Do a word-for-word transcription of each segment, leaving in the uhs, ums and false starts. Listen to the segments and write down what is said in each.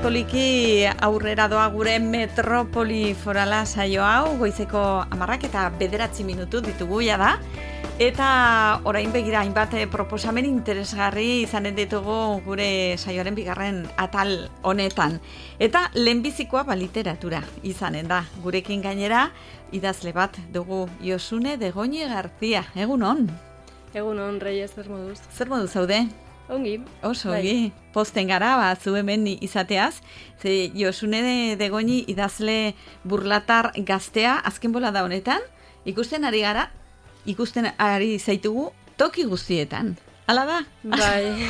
poliki aurrera doa gure metropoli forala saio hau, goizeko hamarrak eta bederatzi minutu ditugu ja da. Eta orain begira hainbat proposamen interesgarri izanen ditugu gure saioaren bigarren atal honetan. Eta lehenbizikoa ba literatura izanen da. Gurekin gainera idazle bat dugu, Josune de Goñi García. Egun on? Egun on, Reyes, zer moduz? Zer moduz zaude? Ongi. Oso, ongi. Posten gara, ba, zu hemen izateaz. Ze Josune de, de Goñi idazle burlatar gaztea, azken bola da honetan, ikusten ari gara, ikusten ari zaitugu toki guztietan. Hala da? Bai.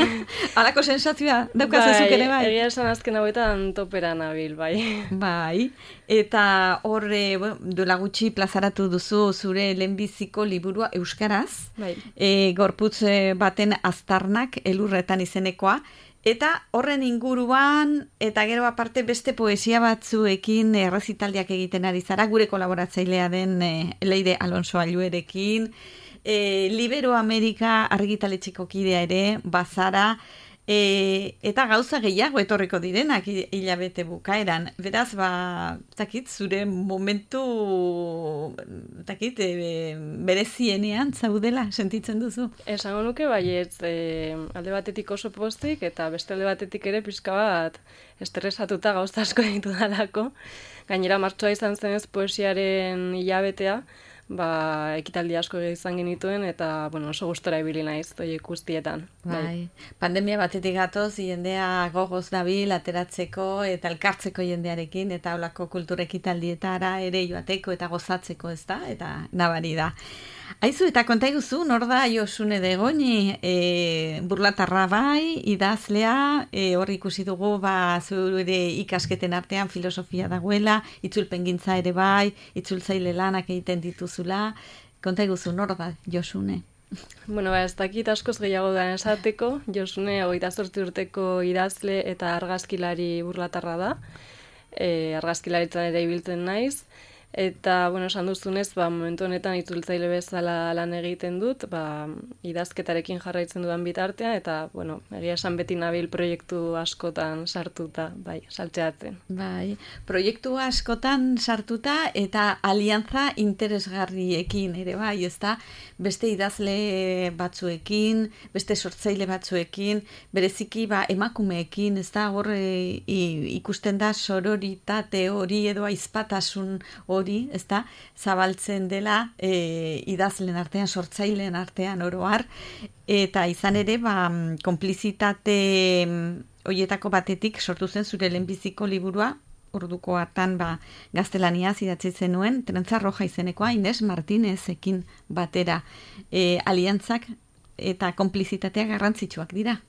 Halako sensazioa daukazazuk ere bai? Egia esan azken hauetan topera nabil, bai. Bai. Eta hor, bueno, duela gutxi plazaratu duzu zure lehenbiziko liburua euskaraz. Bai. E, gorputz baten aztarnak elurretan izenekoa. Eta horren inguruan, eta gero aparte beste poesia batzuekin errezitaldiak egiten ari zara, gure kolaboratzailea den e, Leire Alonso Alluerekin, e, Libero Amerika argitaletxeko kidea ere, bazara, e, eta gauza gehiago etorriko direnak hilabete bukaeran. Beraz, ba, takit, zure momentu, takit, e, berezienean zaudela, sentitzen duzu? Esango nuke baietz, e, alde batetik oso postik, eta beste alde batetik ere pixka bat estresatuta gauza asko ditu dalako. Gainera, martxoa izan zenez poesiaren hilabetea, ba, ekitaldi asko izan genituen, eta, bueno, oso gustora ibili naiz, toiek guztietan. Bai. Bai. Pandemia batetik gatoz, jendea gogoz nabil, ateratzeko eta elkartzeko jendearekin, eta holako kultur ekitaldietara ere joateko eta gozatzeko, ez da? Eta nabari da. Aizu, eta konta iguzu, nor da Josune de Goñi, e, burlatarra bai, idazlea, e, hor ikusi dugu, ba, zure ikasketen artean filosofia dagoela, itzulpengintza ere bai, itzultzaile lanak egiten dituzula. Konta iguzu, nor da Josune? Bueno, ba, ez dakit askoz gehiago da esateko, Josune hogeita zortzi urteko idazle eta argazkilari burlatarra da, e, argazkilaritzan ere ibiltzen naiz, eta, bueno, esan duzunez, ba, momentu honetan itzultzaile bezala lan egiten dut, ba, idazketarekin jarraitzen dudan bitartean, eta, bueno, egia esan beti nabil proiektu askotan sartuta, bai, saltzeatzen. Bai, proiektu askotan sartuta eta aliantza interesgarriekin ere, bai, ez da, beste idazle batzuekin, beste sortzaile batzuekin, bereziki, ba, emakumeekin, ez da, hor e, ikusten da sororitate hori edo aizpatasun hori, ez da, zabaltzen dela e, idazlen artean, sortzaileen artean oroar, eta izan ere, ba, konplizitate horietako batetik sortu zen zure lehenbiziko liburua, orduko hartan ba, gaztelaniaz idatzi zenuen, Trentza Roja izenekoa, Ines Martinezekin batera. E, aliantzak eta konplizitatea garrantzitsuak dira.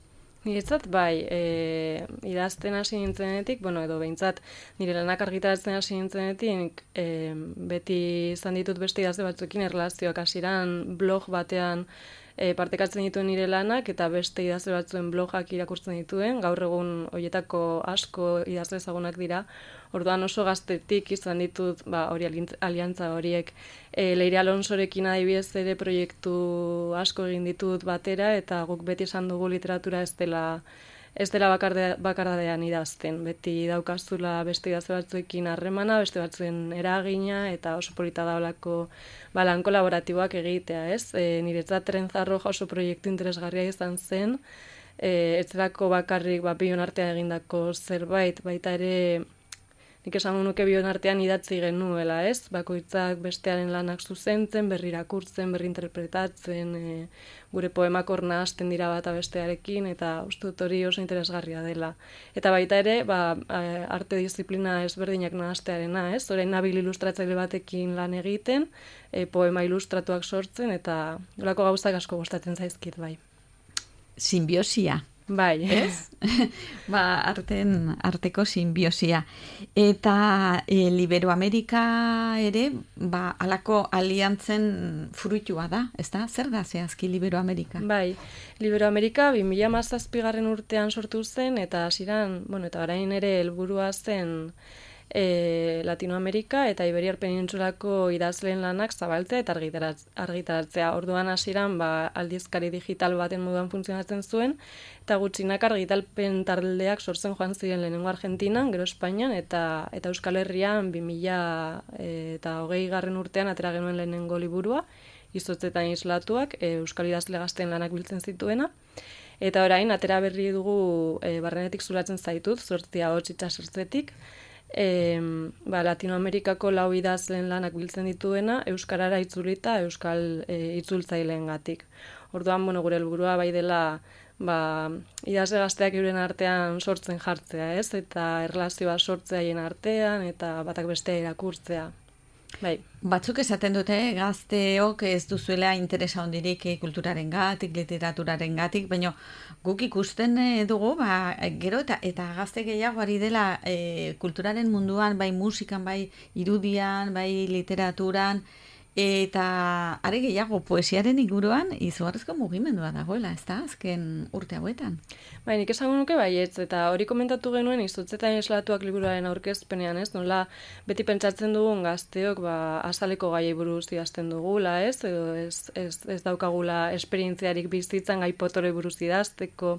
Niretzat, bai, e, idazten hasi nintzenetik, bueno, edo behintzat, nire lanak argitaratzen hasi nintzenetik, e, beti izan ditut beste idazle batzuekin erlazioak hasieran blog batean e, partekatzen dituen nire lanak, eta beste idazle batzuen blogak irakurtzen dituen, gaur egun horietako asko idazle ezagunak dira, orduan oso gaztetik izan ditut, ba, hori aliantza horiek, e, Leire Alonsorekin adibidez ere proiektu asko egin ditut batera, eta guk beti esan dugu literatura ez dela, ez dela bakarde, bakardadean idazten. Beti daukazula beste idazle batzuekin harremana, beste batzuen eragina, eta oso polita da olako ba, lan kolaboratiboak egitea, ez? E, niretzat Trentza Roja oso proiektu interesgarria izan zen, e, ez zelako bakarrik ba, bion artean egindako zerbait, baita ere nik esan nuke bion artean idatzi genuela, ez? Bakoitzak bestearen lanak zuzentzen, berri irakurtzen, berri interpretatzen, e, gure poemak hor nahasten dira bata bestearekin, eta uste dut hori oso interesgarria dela. Eta baita ere, ba, arte disiplina ezberdinak nahastearena, ez? Orain nabil ilustratzaile batekin lan egiten, e, poema ilustratuak sortzen, eta holako gauzak asko gustatzen zaizkit, bai. Simbiosia. Bai, ez? Ba, arten, arteko simbiosia. Eta e, Libero Amerika ere, ba, alako aliantzen fruitua da, ez da? Zer da zehazki Libero Amerika? Bai, Libero Amerika bi mila hamazazpigarren urtean sortu zen, eta hasieran, bueno, eta orain ere helburua zen e, Latinoamerika eta Iberiar Penintsulako idazleen lanak zabaltzea eta argitaratzea. Orduan hasieran ba, aldizkari digital baten moduan funtzionatzen zuen, eta gutxinak argitalpen taldeak sortzen joan ziren lehenengo Argentinan, gero Espainian, eta eta Euskal Herrian bi mila eta hogei garren urtean atera genuen lehenengo liburua, Izotzetan islatuak, e, Euskal idazle gazteen lanak biltzen zituena. Eta orain, atera berri dugu e, barrenetik zulatzen zaitut, zortzia hotz itxasertzetik, e, ba, Latinoamerikako lau idazleen lanak biltzen dituena, Euskarara itzulita, Euskal e, itzultzaileen gatik. Orduan, bueno, gure helburua bai dela, ba, idazle gazteak euren artean sortzen jartzea, ez? Eta erlazioa sortzea haien artean, eta batak bestea irakurtzea. Bai. Batzuk esaten dute gazteok ez duzuela interesa hondirik kulturaren gatik, literaturaren gatik, baina guk ikusten dugu, ba, gero eta, eta gazte gehiago ari dela e, kulturaren munduan, bai musikan, bai irudian, bai literaturan, eta are gehiago poesiaren inguruan izugarrizko mugimendua dagoela, ez da, azken urte hauetan. Bai, nik esango nuke baietz, eta hori komentatu genuen Izotzetan islatuak liburuaren aurkezpenean, ez? Nola beti pentsatzen dugun gazteok ba, azaleko gaiei buruz idazten dugula, ez? Edo ez, ez, ez daukagula esperientziarik bizitzan gai potore buruz idazteko,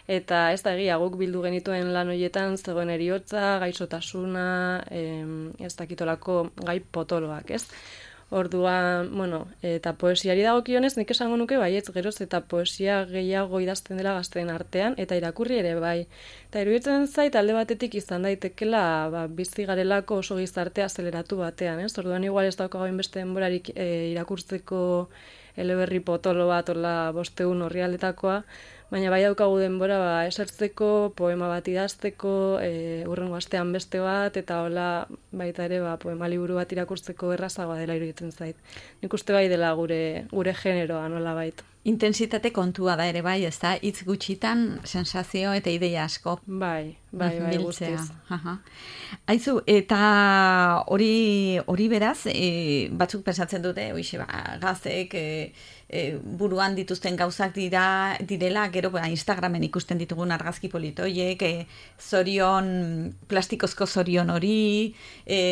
eta ez da egia guk bildu genituen lan horietan zegoen heriotza, gaixotasuna, em, ez dakitolako gai potoloak, ez? Orduan, bueno, eta poesiari dagokionez nik esango nuke baietz geroz eta poesia gehiago idazten dela gazteen artean eta irakurri ere bai. Eta iruditzen zait alde batetik izan daitekela ba, bizi garelako oso gizarte azeleratu batean, ez? Orduan igual ez daukago beste denborarik e, irakurtzeko eleberri potolo bat, hola bosteun orrialdetakoa, baina bai daukagu denbora ba, esertzeko, poema bat idazteko, e, urrengo astean beste bat, eta hola baita ere ba, poema liburu bat irakurtzeko errazagoa dela iruditzen zait. Nik uste bai dela gure, gure generoa nola baita. Intensitate kontua da ere bai, ez da, hitz gutxitan sensazio eta ideia asko. Bai, bai, bai, guztiz. Aha. Aizu, eta hori hori beraz, e, batzuk pensatzen dute, oixe, ba, gazteek e, e, buruan dituzten gauzak dira direla, gero ba, Instagramen ikusten ditugun argazki politoiek, e, zorion, plastikozko zorion hori, e,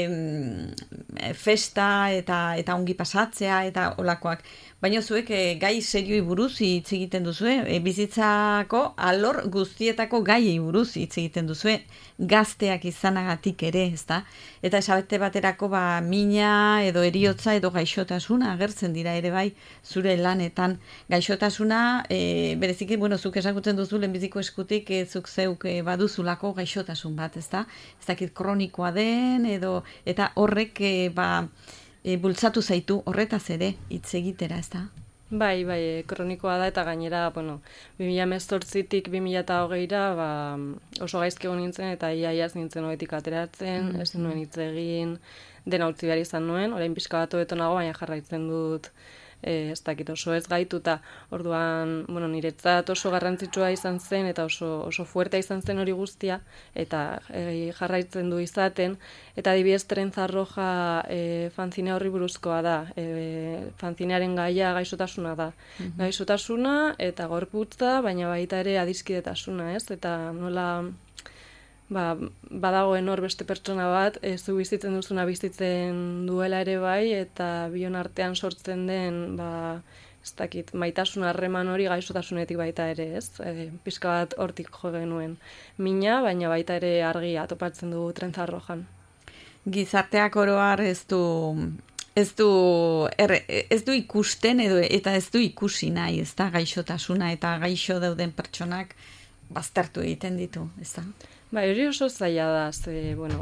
festa eta, eta ongi pasatzea, eta olakoak. Baina zuek e, gai serioi buruz hitz egiten duzue, e, bizitzako alor guztietako gaiei buruz hitz egiten duzue, gazteak izanagatik ere, ezta? Eta esabete baterako ba, mina edo eriotza edo gaixotasuna agertzen dira ere bai zure lanetan. Gaixotasuna, e, bereziki, bueno, zuk esakutzen duzu lehenbiziko eskutik, e, zuk zeuk e, baduzulako gaixotasun bat, ezta? Ez dakit kronikoa den edo eta horrek e, ba, E, bultzatu zaitu horretaz ere hitz egitera, ez da? Bai, bai, e, kronikoa da eta gainera, bueno, bi mila hemezortzitik bi mila hogeira ba, oso gaizki egon nintzen eta iaiaz nintzen hogetik ateratzen, mm. ez nuen hitz egin, dena utzi behar izan nuen, orain pixka bat hobeto nago, baina jarraitzen dut e, ez dakit oso ez gaituta. Orduan, bueno, niretzat oso garrantzitsua izan zen eta oso, oso fuertea izan zen hori guztia eta e, jarraitzen du izaten. Eta adibidez Trenza Roja e, fanzine horri buruzkoa da. E, fanzinearen gaia gaixotasuna da. Mm-hmm. Gaixotasuna eta gorputza, baina baita ere adiskidetasuna, ez? Eta nola ba, badagoen hor beste pertsona bat, ez zu bizitzen duzuna bizitzen duela ere bai, eta bion artean sortzen den, ba, ez dakit, maitasun harreman hori gaixotasunetik baita ere, ez? E, pixka bat hortik jo genuen mina, baina baita ere argia topatzen du Trenza Rojan. Gizarteak oroar ez du ez du er, ez du ikusten edo eta ez du ikusi nahi, ez da, gaixotasuna eta gaixo dauden pertsonak baztertu egiten ditu, ez da? Ba, hori oso zaila da, ze, bueno,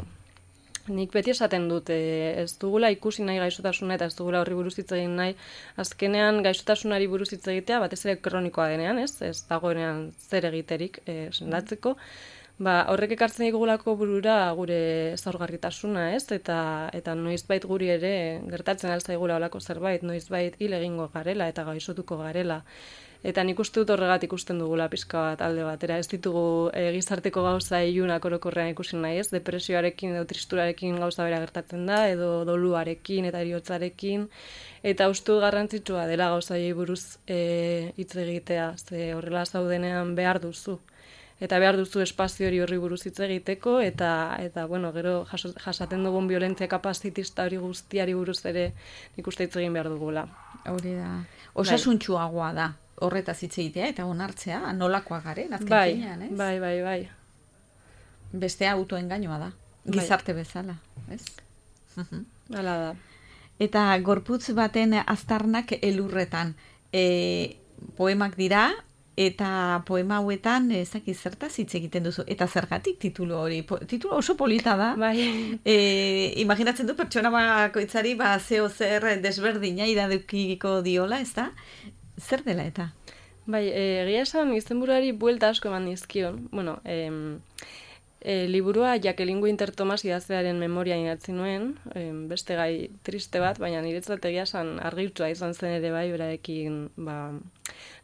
nik beti esaten dut, e, ez dugula ikusi nahi gaixotasuna eta ez dugula horri buruz hitz egin nahi, azkenean gaixotasunari buruz hitz egitea, batez ere kronikoa denean, ez, ez dagoenean zer egiterik e, sendatzeko, ba, horrek ekartzen digulako burura gure zaurgarritasuna, ez, eta, eta noizbait guri ere gertatzen alzaigula olako zerbait, noizbait hil egingo garela eta gaixotuko garela. Eta nik uste dut horregat ikusten dugula pixka bat alde batera. Ez ditugu e, gizarteko gauza ilunak orokorrean ikusi nahi, ez? Depresioarekin edo tristurarekin gauza bera gertatzen da, edo doluarekin eta heriotzarekin. Eta uste dut garrantzitsua dela gauzaiei buruz e, hitz egitea, ze horrela zaudenean behar duzu. eta behar duzu espazio hori horri buruz hitz egiteko, eta, eta bueno, gero jaso, jasaten dugun violentzia kapazitista hori guztiari buruz ere nik uste hitz egin behar dugula. Hori da. Osasuntsuagoa da, horretaz hitz egitea, eta onartzea, nolakoa garen, azken bai, finean, ez? Bai, bai, bai. Bestea autoengainoa da, gizarte bai. Bezala, ez? Hala da. Eta gorputz baten aztarnak elurretan, e, poemak dira, eta poema hauetan ezaki zertaz hitz egiten duzu. Eta zergatik titulu hori? Po, titulu oso polita da. Bai. E, imaginatzen du pertsona bakoitzari ba zeo zer desberdina iradukiko diola, ez da? Zer dela eta? Bai, egia esan izenburuari buelta asko eman dizkion. Bueno, em, e, liburua Jacqueline Winter Thomas idazlearen memoria idatzi nuen, em, beste gai triste bat, baina niretzat egia esan argitua izan zen ere bai, berarekin ba,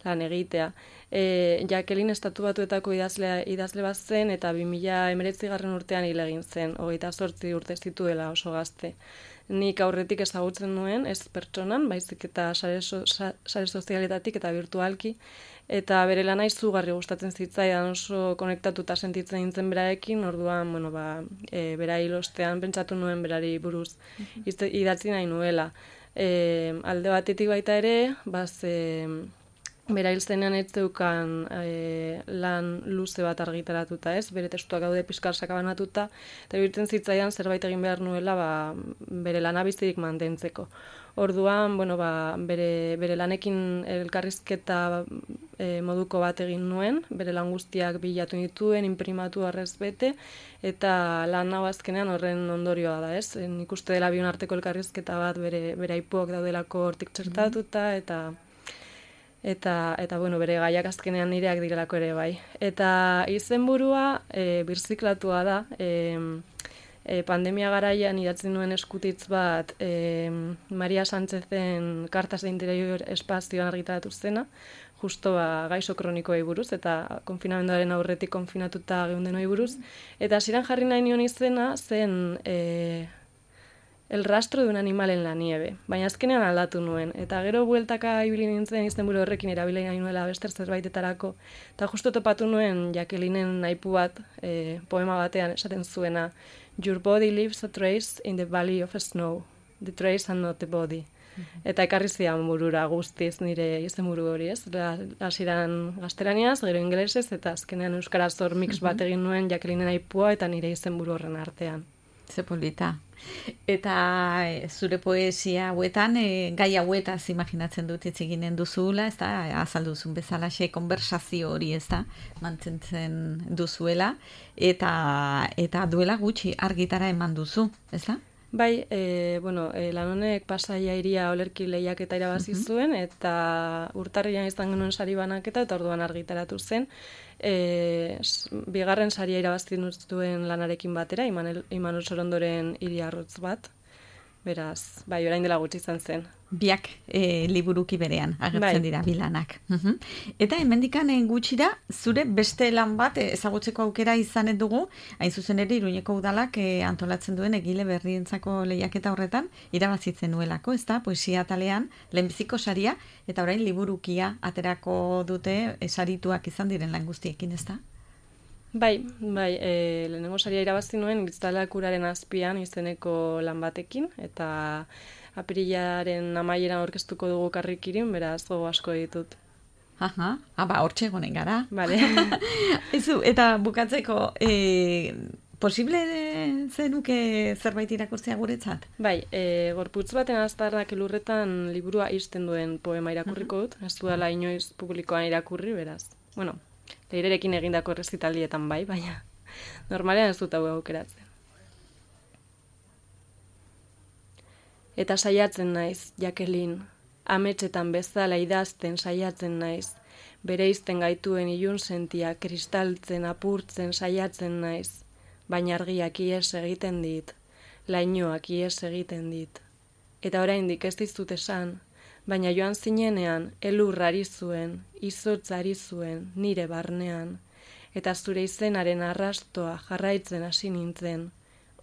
lan egitea. E, Jacqueline estatu batuetako idazle, idazle bat zen, eta bi mila hemeretzi garren urtean hil egin zen, hogeita zortzi urte zituela oso gazte. Nik aurretik ezagutzen nuen, ez pertsonan, baizik eta sare, so, sare sozialetatik eta virtualki, eta bere lana izugarri gustatzen zitzaidan, oso konektatuta sentitzen nintzen beraekin, orduan, bueno, ba, e, bera hilostean pentsatu nuen berari buruz izte, idatzi nahi nuela. E, alde batetik baita ere, baz, e, bera hil zenean ez zeukan e, lan luze bat argitaratuta, ez? Bere testuak gaude pixkar sakabanatuta, eta birtzen zitzaidan zerbait egin behar nuela ba, bere lana bizirik mantentzeko. Orduan, bueno, ba, bere, bere lanekin elkarrizketa e, moduko bat egin nuen, bere lan guztiak bilatu dituen, imprimatu arrez bete, eta lan hau azkenean horren ondorioa da, ez? Nik uste dela bion arteko elkarrizketa bat bere, bere aipuak daudelako hortik txertatuta, eta Eta, eta bueno, bere gaiak azkenean nireak direlako ere bai. Eta izenburua e, birziklatua da, e, e, pandemia garaian idatzen nuen eskutitz bat e, Maria Sánchezen Cartas de Interior espazioan argitaratu zena, justo ba, gaixo kronikoei buruz, eta konfinamenduaren aurretik konfinatuta geundenoi buruz. Eta hasieran jarri nahi nion izena zen E, El rastro de un animal en la nieve, baina azkenean aldatu nuen, eta gero bueltaka ibili nintzen izenburu horrekin erabili nahi nuela bester zerbaitetarako, eta justo topatu nuen Jacquelinen aipu bat, e, poema batean esaten zuena, Your body leaves a trace in the valley of snow, the trace and not the body. Mm-hmm. Eta ekarri zidan burura guztiz nire izenburu hori, ez? Hasieran gaztelaniaz, gero ingelesez, eta azkenean euskaraz hor mix bat egin nuen Jacquelinen aipua eta nire izenburu horren artean. Ze polita. Eta e, zure poesia hauetan, e, gai hauetaz imaginatzen dut hitz eginen duzula, ez da, azalduzun bezalaxe konversazio hori, ez da, mantentzen duzuela, eta, eta duela gutxi argitara eman duzu, ez da? Bai, e, bueno, e, lan honek Pasaia Hiria olerki lehiaketa irabazi uh-huh. zuen, eta urtarrian izan genuen sari banaketa, eta orduan argitaratu zen. E, bigarren saria irabazi zuen lanarekin batera, Imanol, Imanol Sorondoren Hiriarrotz bat. Beraz, bai, orain dela gutxi izan zen. Biak e, liburuki berean agertzen bai. dira bilanak. Uh-huh. Eta hemendikan gutxira zure beste lan bat ezagutzeko aukera izanet dugu, hain zuzen ere Iruñeko udalak e, antolatzen duen egile berrientzako lehiaketa horretan irabazitzen nuelako, ez da, poesia talean lehenbiziko saria, eta orain liburukia aterako dute esarituak izan diren lan guztiekin, ez da? Bai, bai, e, lehenengo saria irabazi nuen Kristalak uraren azpian izeneko lan batekin, eta apirilaren amaieran aurkeztuko dugu Karrikirin, beraz gogo asko ditut. Aha, aba, hortxe egonen gara. Vale. Ezu, eta bukatzeko, e, posible zenuke zerbait irakurtzea guretzat? Bai, e, gorputz baten aztarnak elurretan liburua isten duen poema irakurriko dut, ez duela inoiz publikoan irakurri, beraz. Bueno, leirerekin egindako errezitaldietan bai, baina normalean ez dut hau aukeratzen. Eta saiatzen naiz, Jacqueline, ametsetan bezala idazten saiatzen naiz, bereizten gaituen ilun sentia kristaltzen apurtzen saiatzen naiz, baina argiak ies egiten dit, lainoak ies egiten dit. Eta oraindik ez dizut esan, baina joan zinenean elur ari zuen, izotz ari zuen, nire barnean, eta zure izenaren arrastoa jarraitzen hasi nintzen,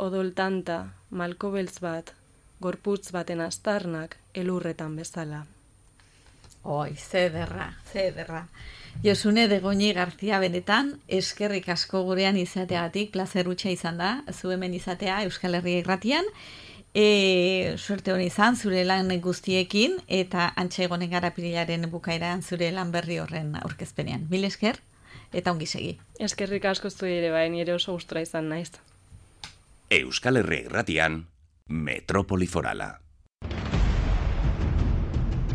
odol tanta, malko beltz bat, gorputz baten aztarnak elurretan bezala. Oi, zederra, zederra. Josune de Goñi Garzia benetan, eskerrik asko gurean izateagatik, plazer hutsa izan da, zu hemen izatea Euskal Herria Irratian. E, suerte honi izan, zure lan guztiekin, eta antxe egonen gara pirilaren bukaeran zure lan berri horren aurkezpenean. Mil esker, eta ongi segi. Eskerrik asko zu ere bai, nire oso gustura izan naiz. Euskal Herria Irratian, Metropoli Forala.